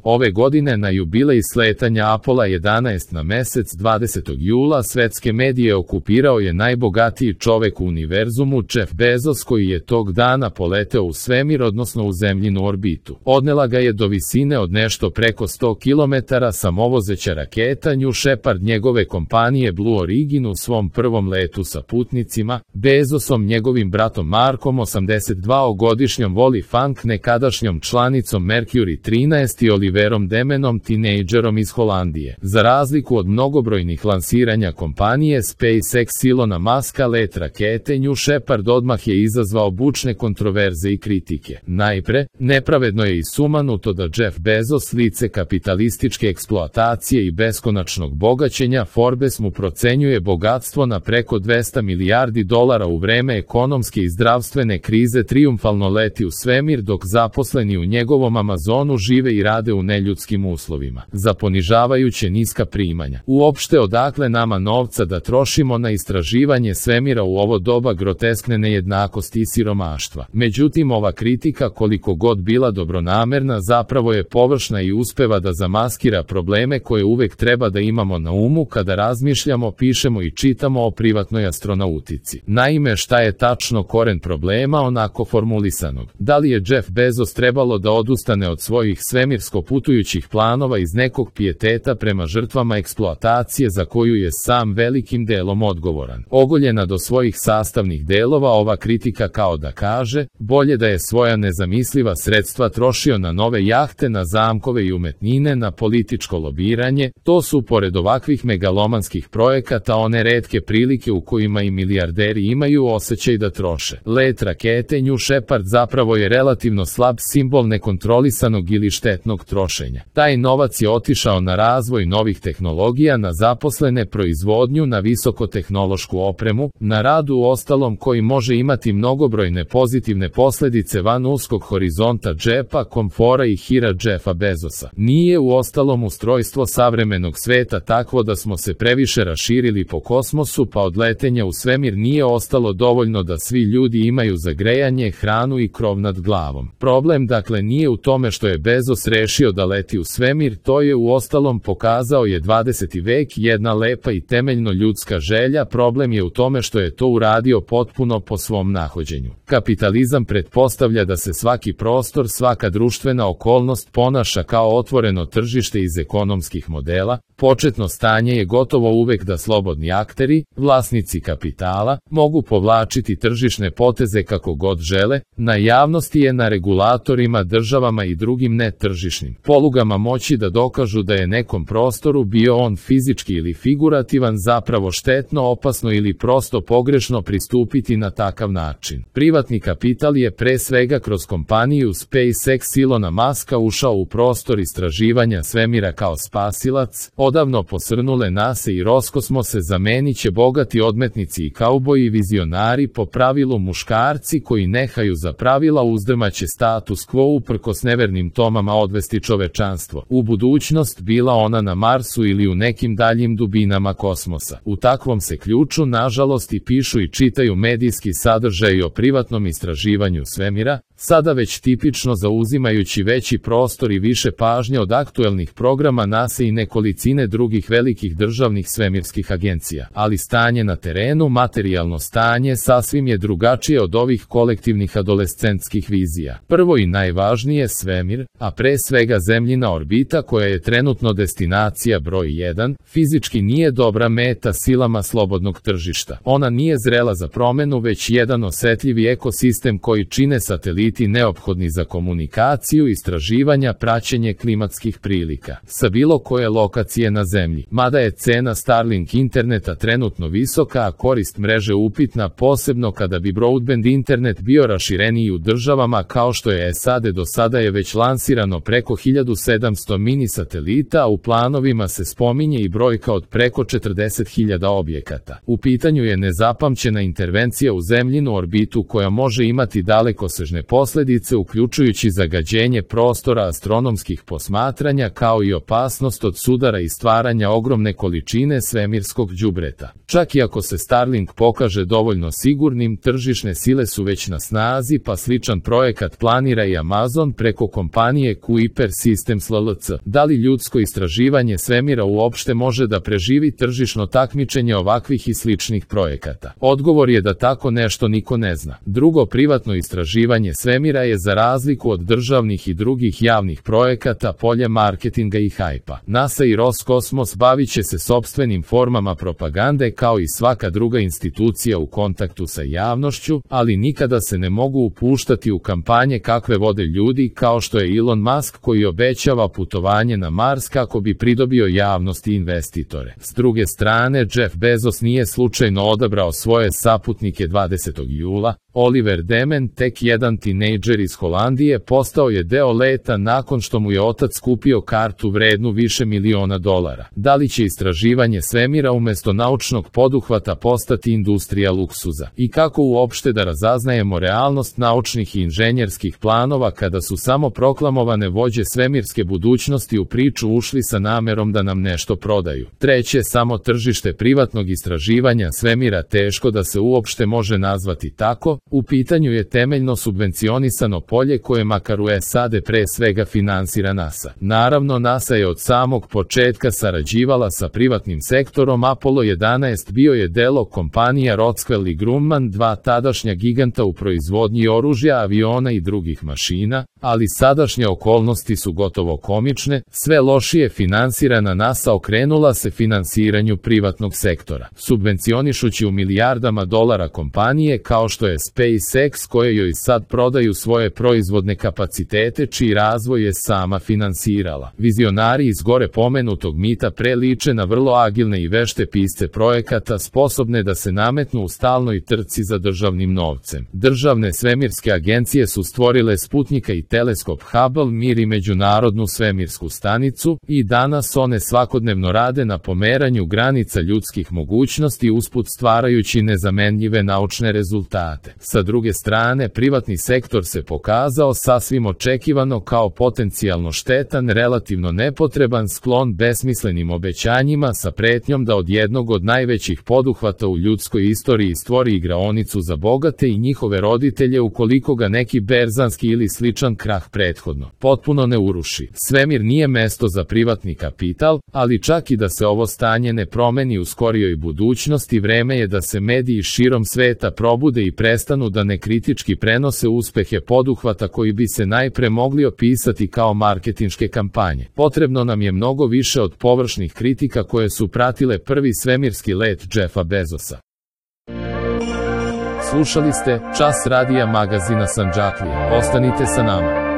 Ove godine na jubilej sletanja Apola 11 na mesec 20. jula svetske medije okupirao je najbogatiji čovek u univerzumu Jeff Bezos, koji je tog dana poleteo u svemir, odnosno u zemljinu orbitu. Odnela ga je do visine od nešto preko 100 km samovozeća raketa New Shepard njegove kompanije Blue Origin u svom prvom letu sa putnicima, Bezosom, njegovim bratom Markom 82-godišnjom Wally Funk, nekadašnjom članicom Mercury 13 i Oliverom Demenom, tinejdžerom iz Holandije. Za razliku od mnogobrojnih lansiranja kompanije SpaceX Elona Muska, let rakete New Shepard odmah je izazvao bučne kontroverze i kritike. Najpre, nepravedno je i sumanuto da Jeff Bezos, lice kapitalističke eksploatacije i beskonačnog bogaćenja, Forbes mu procenjuje bogatstvo na preko 200 milijardi dolara u vreme ekonomske i zdravstvene krize, trijumfalno leti u svemir dok zaposleni u njegovom Amazonu žive i rade u neljudskim uslovima, za ponižavajuće niska primanja. Uopšte, odakle nama novca da trošimo na istraživanje svemira u ovo doba groteskne nejednakosti i siromaštva? Međutim, ova kritika, koliko god bila dobronamerna, zapravo je površna i uspeva da zamaskira probleme koje uvek treba da imamo na umu kada razmišljamo, pišemo i čitamo o privatnoj astronautici. Naime, šta je tačno koren problema onako formulisanog? Da li je Jeff Bezos trebalo da odustane od svojih svemirsko putujućih planova iz nekog pijeteta prema žrtvama eksploatacije za koju je sam velikim delom odgovoran? Ogoljena do svojih sastavnih delova, ova kritika kao da kaže, bolje da je svoja nezamisliva sredstva trošio na nove jahte, na zamkove i umetnine, na političko lobiranje. To su, pored ovakvih megalomanskih projekata, one retke prilike u kojima i milijarderi imaju osjećaj da troše. Let rakete New Shepard zapravo je relativno slab simbol nekontrolisanog ili štetnog trošenja. Taj novac je otišao na razvoj novih tehnologija, na zaposlene, proizvodnju, na visokotehnološku opremu, na rad u ostalom koji može imati mnogobrojne pozitivne posledice van uskog horizonta džepa, komfora i hira Jeffa Bezosa. Nije u ostalom ustrojstvo savremenog sveta takvo da smo se previše raširili po kosmosu, pa od letenja u svemir nije ostalo dovoljno da svi ljudi imaju za grejanje, hranu i krov nad glavom. Problem dakle nije u tome što je Bezos rešio da leti u svemir, to je u ostalom, pokazao je 20. vek, jedna lepa i temeljno ljudska želja. Problem je u tome što je to uradio potpuno po svom nahođenju. Kapitalizam pretpostavlja da se svaki prostor, svaka društvena okolnost ponaša kao otvoreno tržište iz ekonomskih modela. Početno stanje je gotovo uvek da slobodni akteri, vlasnici kapitala, mogu povlačiti tržišne poteze kako god žele. Na javnosti je, na regulatorima, državama i drugim netržišnim polugama moći da dokažu da je nekom prostoru, bio on fizički ili figurativan, zapravo štetno, opasno ili prosto pogrešno pristupiti na takav način. Privatni kapital je pre svega kroz kompaniju SpaceX Elona Muska ušao u prostor istraživanja svemira kao spasilac. Odavno posrnule NASA i Roskosmose zamenit će bogati odmetnici i kauboji, vizionari, po pravilu muškarci koji nehaju za pravila, uzdrmaće status quo uprkos nevernim tomama odvesti čovečanstvo u budućnost, bila ona na Marsu ili u nekim daljim dubinama kosmosa. U takvom se ključu, nažalost, i pišu i čitaju medijski sadržaj o privatnom istraživanju svemira, sada već tipično zauzimajući veći prostor i više pažnje od aktuelnih programa NASA i nekolicine drugih velikih državnih svemirskih agencija. Ali stanje na terenu, materijalno stanje, sasvim je drugačije od ovih kolektivnih adolescentskih vizija. Prvo i najvažnije, svemir, a pre svega zemljina orbita, koja je trenutno destinacija broj 1, fizički nije dobra meta silama slobodnog tržišta. Ona nije zrela za promenu, već jedan osetljivi ekosistem koji čine sateliti neophodni za komunikaciju, istraživanja, praćenje klimatskih prilika sa bilo koje lokacije na zemlji. Mada je cena Starlink interneta trenutno visoka, a korist mreže upitna, posebno kada bi broadband internet bio rašireniji u državama kao što je SAD. Do sada je već lansirano preko 1700 mini satelita, a u planovima se spominje i brojka od preko 40.000 objekata. U pitanju je nezapamćena intervencija u zemljinu orbitu koja može imati dalekosežne posljedice, uključujući zagađenje prostora astronomskih posmatranja, kao i opasnost od sudara i stvaranja ogromne količine svemirskog đubreta. Čak i ako se Starlink pokaže dovoljno sigurnim, tržišne sile su već na snazi, pa sličan projekat planira i Amazon preko kompanije Kuiper Systems LLC. Da li ljudsko istraživanje svemira uopšte može da preživi tržišno takmičenje ovakvih i sličnih projekata? Odgovor je da tako nešto niko ne zna. Drugo, privatno istraživanje svemira je za razliku od državnih i drugih javnih projekata polje marketinga i hajpa. NASA i Roskosmos bavit će se sopstvenim formama propagande kao i svaka druga institucija u kontaktu sa javnošću, ali nikada se ne mogu upuštati u kampanje kakve vode ljudi kao što je Elon Musk koji obećava putovanje na Mars kako bi pridobio javnost i investitore. S druge strane, Jeff Bezos nije slučajno odabrao svoje saputnike 20. jula. Oliver Demen, tek jedan tinejdžer iz Holandije, postao je deo leta nakon što mu je otac kupio kartu vrednu više miliona dolara. Da li će istraživanje svemira umesto naučnog poduhvata postati industrija luksuza? I kako uopšte da razaznajemo realnost naučnih i inženjerskih planova kada su samo proklamovane vođe svemirske budućnosti u priču ušli sa namerom da nam nešto prodaju? Treće, samo tržište privatnog istraživanja svemira teško da se uopšte može nazvati tako. U pitanju je temeljno subvencionisano polje koje makar u SAD pre svega finansira NASA. Naravno, NASA je od samog početka sarađivala sa privatnim sektorom. Apollo 11 bio je delo kompanija Rockwell i Grumman, dva tadašnja giganta u proizvodnji oružja, aviona i drugih mašina, ali sadašnje okolnosti su gotovo komične. Sve lošije finansirana NASA okrenula se finansiranju privatnog sektora, subvencionišući u milijardama dolara kompanije kao što je SpaceX, koje joj sad prodaju svoje proizvodne kapacitete čiji razvoj je sama finansirala. Vizionari iz gore pomenutog mita preliče na vrlo agilne i vešte pisce projekata sposobne da se nametnu u stalnoj trci za državnim novcem. Državne svemirske agencije su stvorile Sputnika i teleskop Hubble, Mir i Međunarodnu svemirsku stanicu, i danas one svakodnevno rade na pomeranju granica ljudskih mogućnosti usput stvarajući nezamenljive naučne rezultate. Sa druge strane, privatni sektor se pokazao sasvim očekivano kao potencijalno štetan, relativno nepotreban, sklon besmislenim obećanjima sa pretnjom da od jednog od najvećih poduhvata u ljudskoj istoriji stvori igraonicu za bogate i njihove roditelje ukoliko ga neki berzanski ili sličan krah prethodno potpuno ne uruši. Svemir nije mesto za privatni kapital, ali čak i da se ovo stanje ne promeni u skorijoj budućnosti, vreme je da se mediji širom sveta probude i prestanu da nekritički prenose uspehe poduhvata koji bi se najpre mogli opisati kao marketinške kampanje. Potrebno nam je mnogo više od površnih kritika koje su pratile prvi svemirski let Jeffa Bezosa. Slušali ste Čas radija magazina Sandžaklija. Ostanite sa nama.